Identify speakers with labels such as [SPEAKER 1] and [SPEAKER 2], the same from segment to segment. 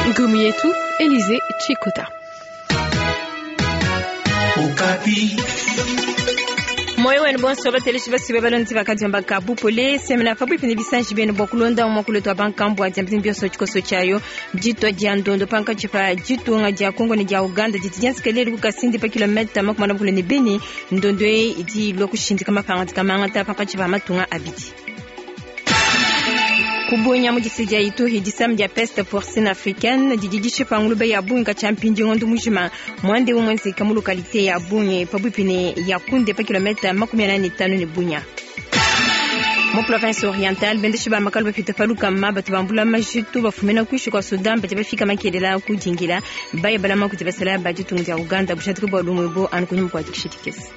[SPEAKER 1] Ngumu yetu Elize Chikota.
[SPEAKER 2] Moyo wenu bonso bateleshi basibe balonzi bakadiomba kabupole semena pabuipi ne bisanji benu bua kulonda muakulu wetu wa bankambua dia mbingu bionso tshikoso tshiayo ditua dia ndondo pankatshi pa ditunga dia Kongo ne dia Uganda didi dienzeka lelu ku Kasindi pa kilometa 45 ne Beni. Ndondo eyi idi ilua kushindika mapangadika mangata pankatshi pa matunga abidi. Kubunya mu distrika dia Ituri, disama dia peste porcine africaine didi dishipa ngulube ya bungi katshia mpindieu ngondo mujima. Muanda eu muenzeka mu lokalite ya Bunye pabuipi ne Yakunde pa kilometa 45 ne Bunya. Mu province orientale, bendeshi ba makalu bapite pa lukama batu bambula majitu bafumina kuinshi kua Sudan badi bafika makelela ku dingila baya balama kudi basalayi ba ditunga dia Uganda bujadiki bua lumu ebu anu kunyima kua dikisha dikese.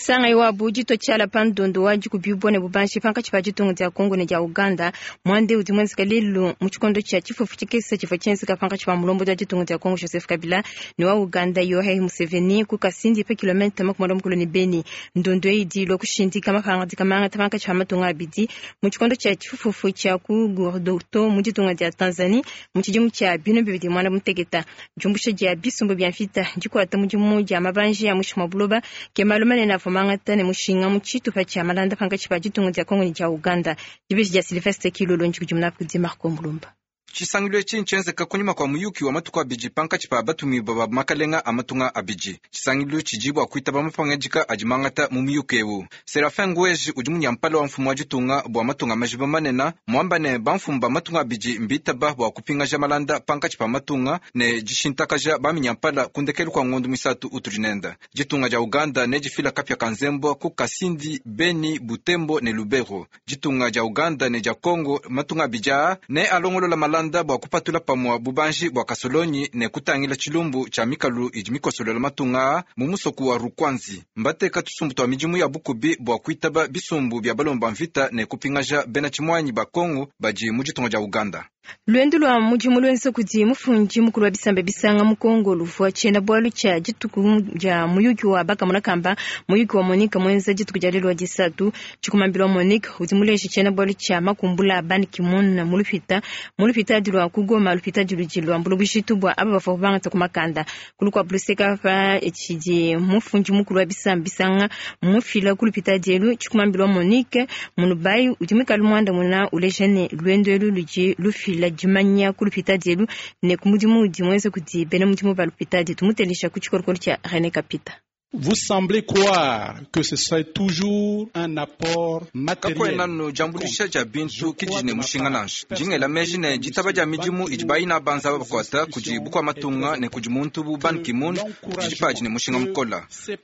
[SPEAKER 2] Sangayi wabu ditua tshiala pa ndondo wa dikubibua ne bubanji pankatshi pa ditunga dia Congo ne dia Uganda. Muanda eu udi muenzeka lelu mu tshikondo tshia tshifufu tshikese tshivua tshienzeka pankatshi pa mulombodi wa ditunga dia Congo Joseph Kabila ne wa Uganda Yoweri Museveni ku Kasindi pa kilometa 50 ne Beni. Ndondo eyi idi ilua kushindika mapangadika mangata pankatshi pa matunga abidi mu tshikondo tshia tshifufu tshia ku Ngorongoro mu ditunga dia Tanzanie mu tshidimu tshia 2016. Diumbusha dia bisumbu bia mvita, dikuata mudimu dia mabanji a muinshi mua buloba ke malu manene avua mangata ne mushinga mu tshitupa tshia malanda pankatshi pa ditunga dia Congo ne dia Uganda. Dibeji dia Sylvestre Kilolo ndikudimuna kudi Marco Mulumba.
[SPEAKER 3] Tshisangilu etshi ntshienzeka kunyima kua muyuki wa matuku abidi pankatshi pa batumibue ba makalenga a matunga abidi. Tshisangilu tshidi bua kuitaba mapangadika adi mangata mu muyuki eu. Seraphin Ngweji udi munyampala wa mfumu wa ditunga bua matunga majiba manene muamba ne, bamfumu ba matunga abidi mbitaba bua kupingaja malanda pankatshi pa matunga ne dishintakaja baminyampala ku ndekelu kua ngondo muisatu utudi nende. Ditunga dia Uganda nedifila kapia ka nzembua ku Kasindi, Beni, Butembo ne Lubero. Ditunga dia Uganda ne dia Congo matunga abidi aa ne alongolola malanda bua kupatula pamua bubanji bua kasolonyi ne kutangila tshilumbu tshia mikalu idi mikosolola matunga aa mu musoku wa Rukwanzi. Mbateka tusumbu tua midimu ya bukubi bua kuitaba bisumbu bia balomba mvita ne kupingaja bena tshimuanyi ba Congo badi mu ditunga dia Uganda.
[SPEAKER 2] Luendu lua mudimu luenza kudi mufundi mukulu wa bisamba bisanga mu Congo luvua tshiena-bualu tshia dituku dia muyuki wa bakamona kamba muyuki wa Monique muenza dituku dia lelu wa disatu. Tshikumambila wa Monique udi muleje tshiena-bualu tshia makumbula a Ban Ki-moon mu lupita mu lupitadi lua ku Goma, lupitadi ludi luambula bujitu bua aba bavua bangata ku makanda. Ku lukuabu luseke pa tshidi mufundi mukulu wa bisamba bisanga mufila ku lupitadi elu, tshikumambila wa Monique Munubayi udi muikale muandamuna uleja ne luendu elu ludi lufila dimanya ku lupitadi elu ne ku mudimu udi muenza kudi bena mudimu ba lupitadi. Tumuteleja ku tshikolokolo tshia René Kapita.
[SPEAKER 4] Vous semblez croire que ce serait toujours un apport matériel.
[SPEAKER 3] Kakuena anu diambuluisha dia bintu ke didi ne mushinga nansha. Ndi ngela meji ne, ditaba dia midimu idi bayina banza bakuata kudi bukua-matunga ne kudi muntu bu Ban Ki-moon didi padi ne mushinga mukole.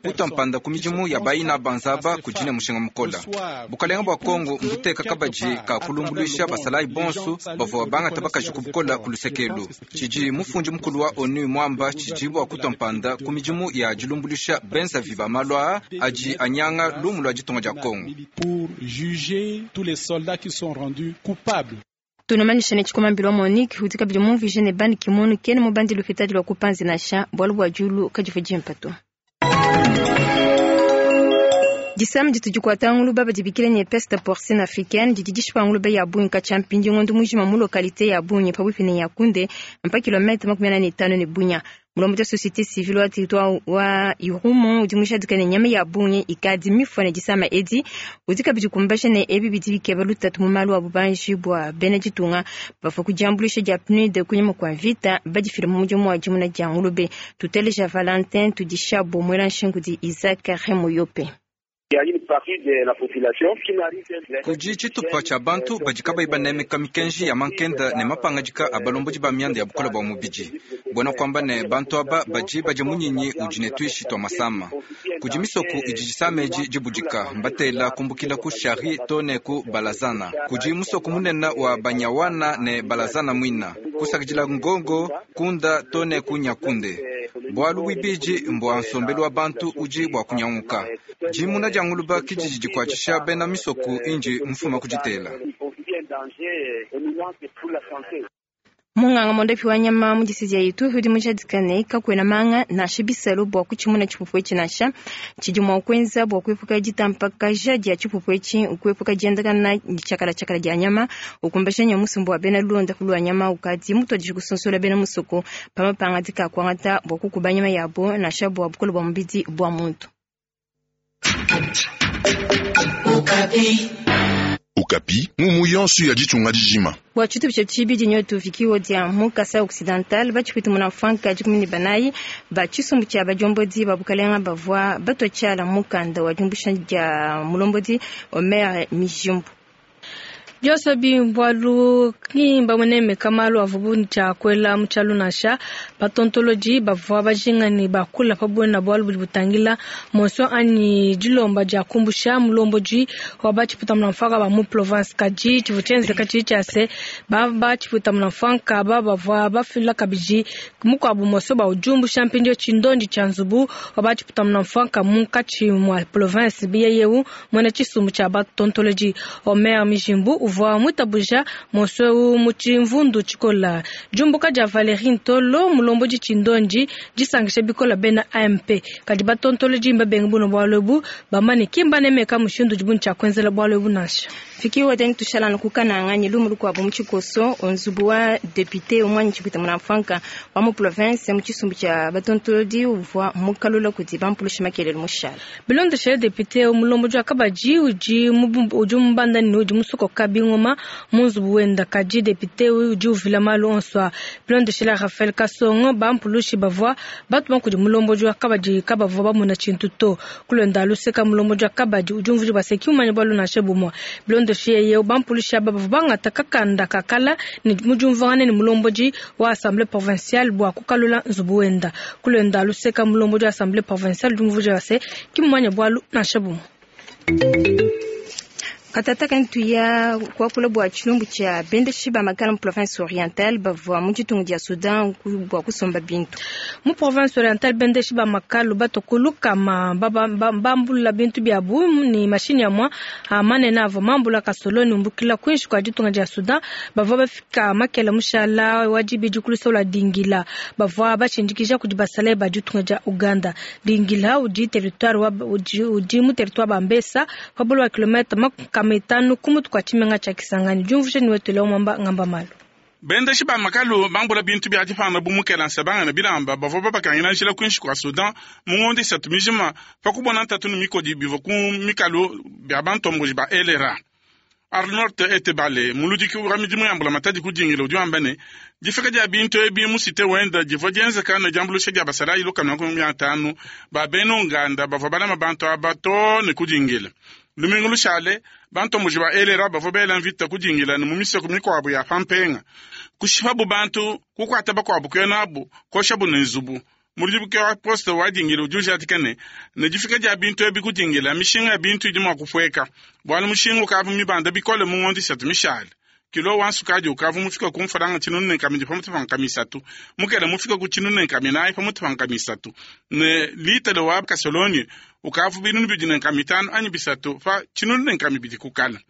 [SPEAKER 3] Kutua mpanda ku midimu ya bayina banza aba kudi ne mushinga mukole. Bukalenga bua Congo mbuteka kabadi ka kulumbuluisha basalayi bonso bavua bangata bakaji ku bukole ku luseke elu. Tshidi mufundi mukulu wa ONU muamba tshidi bua kutua mpanda ku midimu ya dilumbuluisha benzavi ba malu aa adi anyanga lumu lua ditunga dia Congo.
[SPEAKER 4] Pour juger tous les soldats qui sont rendus coupables.
[SPEAKER 2] Tunamanyisha ne tshikumambila wa Monique udi kabidi mumvuije ne Ban Ki-moon kena mubandi lupitadi lua kupanzi nansha bualu bua diulu kadivua dimpe to. Disama ditu dikuata nguluba badibikila ne peste porcine africaine didi dishipa nguluba ya bungi katshia mpindieu ngondo mujima mu lokalite ya Bunye pabuipi ne Yakunde mpa kilometa 45 ne Bunya. Mulombodi wa societe civile wa territoire wa Irumu udi mujadika ne nyama ya bungi ikadi mifua ne disama edi udi kabidi kumbaja ne ebi bidi bikeba lutatu mu malu a bubanji bua bena ditunga bavua ku diambuluisha dia PNUD kunyima kua mvita badifile mu mudimu wa dimuna dia ngulube. Tuteleja Valentin Tudishabo muela nshingu di Isaac Remoyope.
[SPEAKER 3] Kudi tshitupa tshia bantu badi kabayi banemeka mikenji ya mankenda ne mapangadika a balombodi ba mianda ya bukole bua mubidi. Buena kuamba ne, bantu aba badi badia munyinyi udi ne tuishi tua masama. Kudi misoko idi disama edi dibudika, mbatela kumbukila ku Shari to ne ku Balazana. Kudi musoko munene wa Banyawana ne Balazana muina, kusakidila Ngongo, Kunda to ne ku Nyakunde. Bualu buibidi mbua nsombelu wa bantu udi bua kunyanguka. Dimuna dia nguluba ke didi dikuatshisha bena misoko indi mfuma ku ditela.
[SPEAKER 2] Munganga mondapi wa nyama mu distrika dia Ituri udi mujadika ne kakuena manga nansha bisalu bua kutshimuna tshipupu etshi nansha. Tshidi mua kuenza bua kuepuka ditampakaja dia tshipupu etshi nkuepuka diendakana tshiakala-tshiakala dia nyama, ukumbaja ne musumba wa bena luondapu lua nyama ukadi mutuadije kusonsola bena musoko pa mapangadika a kuangata bua kukuba nyama yabo nansha bua bukole bua mubidi bua muntu.
[SPEAKER 5] Okapi, ngumu yonso ya ditunga dijima.
[SPEAKER 2] Bua tshitupa tshia tshibidi nyotu vikiwo dia mu Kasai Occidental batshipwita muna mfwanka 14 ba tshisumbu tshia badiombodi ba bukalenga bavua batua tshiala mukanda wa diumbusha dia mulombodi Omer Mijimbu.
[SPEAKER 1] Bionso ebi mbualu ki mbamunemeka malu avuabu ne tshia kuela mu tshialu nansha. Batontolodi bavua bajinga ne bakula pa buena bualu budi butangila motion anyi dilomba dia kumbusha mulombodi wa ba tshipuita-munamfuanka ba mu province. Kadi tshivua tshienzeka tshidi tshia se, ba ba tshipuita-munamfuanka aba bavua bafila kabidi mukuabu motion bua udiumbusha mpindieu tshindondi tshia nzubu wa ba tshipuita-munamfuanka munkatshi mua province. Yeye muena tshisumbu tshia batontolodi Omer Mijimbu uvua muitabuja motion eu mu tshimvundu tshikola. Diumbuka dia Valerie Ntolo mulombodi tshindondi disankisha bikola bena AMP. Kadi batontolodi mbabenga buno bualu ebu bamane ki mbanemeka mushindu udibu ne tshia kuenzela bualu ebu nansha.
[SPEAKER 2] Fiki wadeni tushala no kukananga ni lumu lukuabu mu tshikoso nzubu wa député umwanyi tshipita munamfwanka wa mu province mu tshisumbu tshia batontolodi uvua mukalula kudi bampulusha makelele mushala.
[SPEAKER 1] Bilondeshele député mulombodi wa kabadi udi udi mubanda ne udi musokoka bingoma mu nzubu wenda. Kadi député udi uvila malu onso a bilondeshele Raphaël Kasongo bampulushi bavua batuma kudi mulombodi wa kabadi kabavua bamona tshintu to. Kulonda luseka mulombodi wa kabadi udi umvuija baseki umanya bualu nansha bumue. Bilondeshele yeye bampulushi aba bavua bangata kakanda kakala ne mujumvangane ne mulombodi wa assemblée provinciale bua kukalula nzubu wenda. Kulonda luseka mulombodi wa assemblée provinciale udi umvuija base kimumanya bualu nansha bumue.
[SPEAKER 2] Katata ntuya kuakula bua tshilumbu tshia bendeshi ba makala mu province orientale bavua mu ditunga dia Sudan bua kusomba bintu.
[SPEAKER 1] Mu province orientale bendeshi ba makalu batokulu kama bambula bintu biabu ni mashini ya mwa manene avua mambula kasoloni umbukila kuinshi kwa ditunga dia Sudan bavua bafika makela mushala wa dibidi kulusola dingila bavua bashindikija kudi basalayi ba ditunga dia Uganda. Dingila udi territoire wa udi mu territoire Bambesa pabolo wa kilomètre makumi itanu kumutu kwa tshimenga tshia Kisangani. Diumvusha ni wetu leo mwamba ngamba malu.
[SPEAKER 6] Bendeshi ba makalu bambula bintu bia dipanda bu mukela nsabanga na bilamba bavua babakangila njila kuinshi kwa Sudan mu ngondo isatu mijima pa kubona ntatu ni mikodi bivua ku mikalu bia bantomboji ba LRA. Arnold Etebale muludiki wa midimu ya mbulamatadi kudingila udi wamba ne difika dia bintu ebi mu site wenda divua dienzeka ne diambuluisha dia basalayi lukama 50 ba bena Uganda bavua balama bantu aba too ne kudingila. Lumingu lushale bantomboji ba LRA bavua bela mvita kudingila ne mu misoko mikuabu ya pampenga kushipabu bantu kukuata bakuabu kuenabu koshabu ne nzubu. Muludiki wa poste wa dingila udi ujadika ne ne difika dia bintu ebi kudingila mishinga ya bintu idi mua kupueka bualu mushinga ukavua mibanda bikole mu ngondo isatu mishale. Kilo wa nsukadi ukavua mufika ku mfalanga 42 pamutu pa nkama isatu mukele mufika ku 44 pamutu pa nkama isatu ne litele wa kasoloni ukavua 250 anyi bisatu pa 1200 kukala.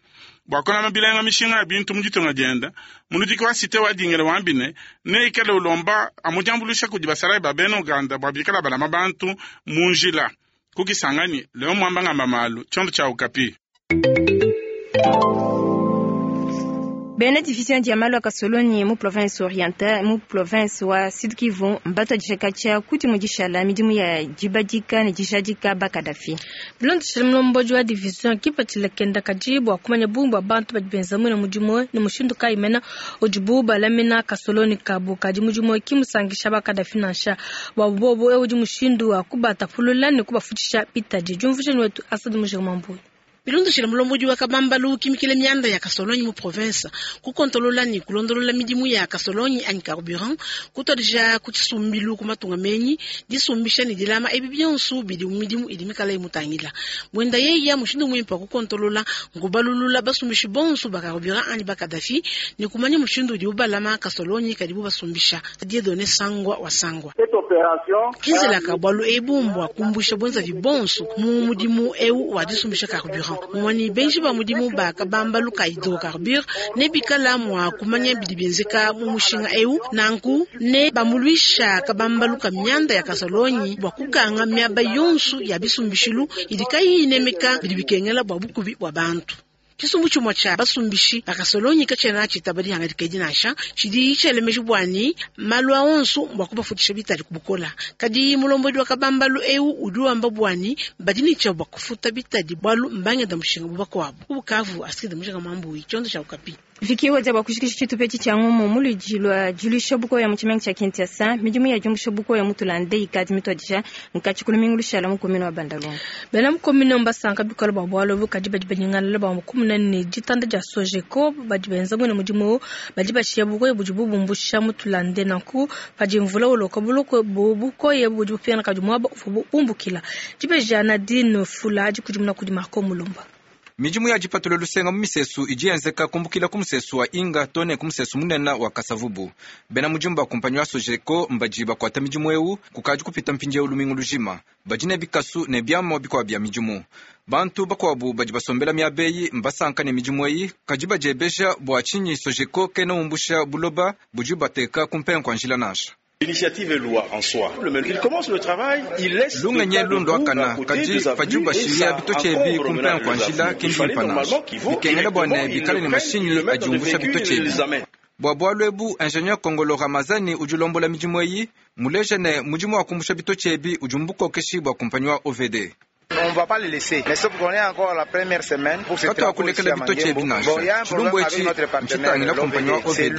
[SPEAKER 6] Bua kulama bilenga mishinga ya bintu mu ditunga dienda muludiki wa site wa dingila wambine ne ikale ulomba amudiambuluisha kudi basalayi ba bena Uganda bua bikala balama bantu mu njila kukisangani leo mwamba ngamba malu tshiondo tshia Okapi.
[SPEAKER 2] Bena division dia malu a kasoloni mu province orientale mu province wa Sud Kivu mbatuadije katshia kudi mudishala midimu ya dibadika ne dijadika ba Kadafi.
[SPEAKER 1] Bilondeshele mulombodi wa division kipatshila kenda kadi bua kumanya bungi bua bantu badi benza muina mudimu ne mushindu kayi mena udibu balamina kasoloni kabu. Kadi mudimu ki musangisha ba Kadafi nansha bua bobo udi mushindu wa kubatapulula ne kubafutshisha bitadi. Diumvuija ni wetu Asad Mujirima Mbuyi.
[SPEAKER 7] Bilondeshele mulombodi wa kabambalu kimikile mianda ya kasolonyi mu province kukontolola ni kulondolola midimu ya kasolonyi anyi carburant kutwadija ku tshisumbilu ku matunga menyi disumbisha ne dilama ebi bionso bidi mu midimu idi mikala imutangila mwenda yeya mushindu muimpe wa kukontolola nkubalulula basumbishi bonso ba carburant anyi ba Kadafi ne kumanya mushindu udi ubalama kasolonyi kadibu basumbisha Dieudonné Sangwa wa Sangwa. Kinzelaka bualu ebu mbua kumbusha bwenzavi bonso mu mudimu eu wa disumbisha carburant. Mumue ne benji ba mudimu ba kabambalu ka hydrocarbure ne bikala mua kumanya bidi bienzeka mu mushinga eu, nanku ne bambuluisha kabambalu ka mianda ya kasolonyi bua kukanga miaba yonso ya bisumbishilu idi kayiyi inemeka bidi bikengela bua bukubi bua bantu. Tshisumbu tshimue tshia basumbishi ba kasolonyi katshiena tshitaba dihangadika edi nansha, tshidi tshiela meji bua ne malu a onso mbua kubafutisha bitadi ku bukola. Kadi mulombodi wa kabambalu eu udi wamba bua ne badi ne tshia bua kufuta bitadi bualu mbangenda mushinga bu bakuabu. Ku Bukavu, Astrid Mujinga Mwambui, tshiondo tshia Okapi.
[SPEAKER 2] Viki wadia bua kushikisha tshitupa etshi tshia ngumu mu luidi lua diluisha bukoya mu tshimenga tshia Kinshasa. Midimu ya diumbusha bukoya mu tulande ikadi mituadija nkatshi ku lumingu lushala mu commune wa Bandalungwa.
[SPEAKER 1] Bena mu commune mbasanka bikole bua bualu ebu, kadi badi banyingalala bua mukumuna ne ditanda dia Sojeko badi benza mwene mudimu badi bashiya bukoya budi bubumbusha mu tulande. Nanku padi mvula uloka buloko bukoya budi bupingana kadi muaba uvua bumbukila. Dibeja Nadine Fula dikudimuna kudi Marco Mulumba.
[SPEAKER 3] Midimu ya dipatula lusenga mu misesu idi yenzeka kumbukila ku musesu wa Inga to ne ku musesu munene wa Kasavubu. Bena mudimu ba kumpanyi wa Sojeko mbadi bakuata midimu eu kukadi kupita mpindieu lumingu lujima. Badi ne bikasu ne biamua bikuabu bia midimu. Bantu bakuabu badi basombela miaba eyi mbasanka ne midimu eyi, kadi badiebeja bua tshinyi Sojeko kena umbusha buloba budi bateka ku mpenga kua njila nansha.
[SPEAKER 8] L'initiative est loi en soi. Il commence le travail, il laisse
[SPEAKER 3] lungenyi lunduakana kadi padi bashiya bitotshi ku mpenga kua njila ke mbimpe nansha. Bikengela bua ne bikale ne mashinyi adi umbusha bitotshi ebi. Bua bualu ebu, ingénieur Kongolo Ramazani udi ulombola midimu eyi, muleja ne mudimu wa kumbusha bitotshi ebi udi mu bukokeshi bua kumpanyi wa OVD.
[SPEAKER 9] On va pas les laisser. Mais sauf qu'on est encore la première semaine pour ce
[SPEAKER 3] Katuakulekela bitotshi ebi nansha. Tshilumbu etshi ntshitangila kumpanyi wa OVD.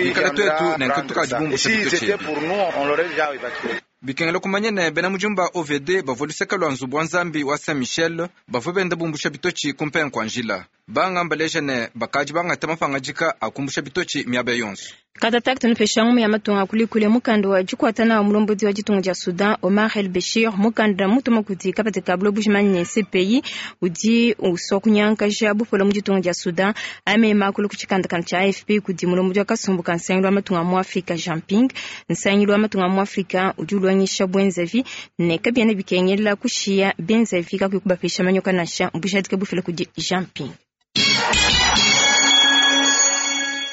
[SPEAKER 3] Bikala tuetu ne nketukadi bumbusha
[SPEAKER 9] Si
[SPEAKER 3] bitotshi
[SPEAKER 9] c'était
[SPEAKER 3] ebi.
[SPEAKER 9] pour nous, on l'aurait déjà évacué.
[SPEAKER 3] Bikengela kumanya ne bena mudimu ba OVD bavua luseke lua nzubu wa nzambi wa Saint Michel bavua benda bumbusha bitotshi ku mpenga kua njila. Banga mbaleja ne bakadi bangata mapangadika a kumbusha bitotshi miaba yonso.
[SPEAKER 2] Katatak tunupesha ngumu ya matunga kulikule mukanda wa dikuatana wa mulombodi wa ditunga dia Sudan Omar El Bashir mukanda mutuma kudi kapata ka bulo bujimanye CPI udi uswa kunyankaja bupola mu ditunga dia Sudan ame makulu ku tshikandakanda tshia AFP kudi mulombodi wa kasumbu ka nsangilu wa matunga mu Afrika Jean Ping. Nsangilu wa matunga mu Afrika udi ulwangisha bwenzavi ne kabiena bikengela kushiya benzavi kakuyi kubapesha manyoka nansha mbujadika bufila kudi Jean Ping.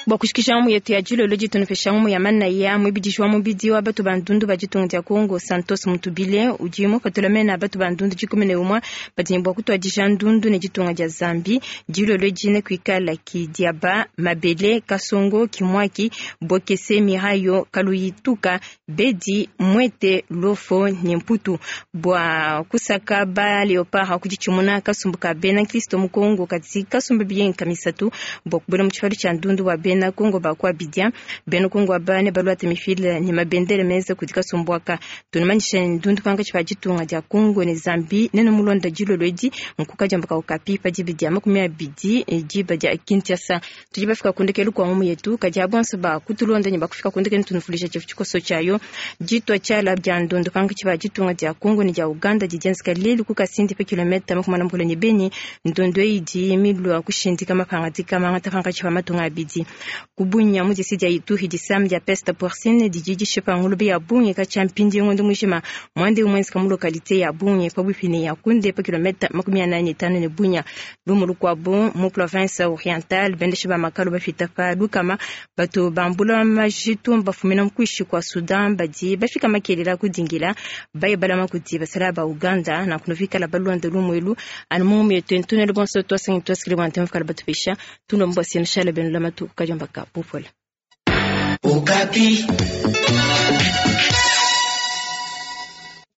[SPEAKER 2] Bua kushikisha ngumu yetu ya dilolo ditunupesha ngumu ya manaya muibidiji wa mubidi wa batu ba ndundu ba ditunga dia Kongo Santos Mutubile udi mupatula mena batu ba ndundu 11 badi ne bua kutuadija ndundu ne ditunga dia Zambi dilolo dine kuikala Kidiaba Mabele Kasongo Kimwaki Bokese Mirayo Kaluyituka Bedi Mwete Lofo ne Mputu bua kusaka ba Leopard kuditshimuna kasumbu ka bena Kristo mu Kongo kati kasumbu biyenka misatu bua kubwela mu tshipalu tshia ndundu wa bena Kongo bakwa bidia bena Kongo abane balwate mifile ne mabendele meza kudi kasumbu aka tunamanyisha ndundu panga tshipa ditunga dia Kongo ne Zambi nene mulonda dilolo edi nkuka diambaka Okapi pa diba dia 20 diba dia Kinshasa. Tudi bafika kundekelu kwa ngumu yetu kadi abonso ba kutulonda ne bakufika kundekelu tunufulisha tshifu tshikoso tshiayo ditwa tshiala dia ndundu panga tshipa ditunga dia Kongo ne dia Uganda didienzeka lelu ku Kasindi pa kilomita 40 ne Beni. Ndundu eyi idi milua kushindika mapangadika mangata panga tshipa matunga abidi kubunya mu disi dia Ituri disam dia peste porcine didi dishipa ngulube ya bungi katshia mpindi ngondo mujima mwande umwenzeka mu localité ya Bungi pabuipi ne ya Kunde pa kilomita 45 ne Bunya. Lumu lukuabu mu province orientale bendeshi ba makalu bafita pa lukama bato bambula majitu bafumina mu kuishi kwa Sudan badi bafika makelela kudingila bayebalama kudi basala ba Uganda na kunovikala balonda lumu elu anu mu yetu ntunelo bonso twasangi twasikile bwa ntemfikala batupesha tunomba sina shala benu lamatu kajamba ka popola.
[SPEAKER 10] Okapi.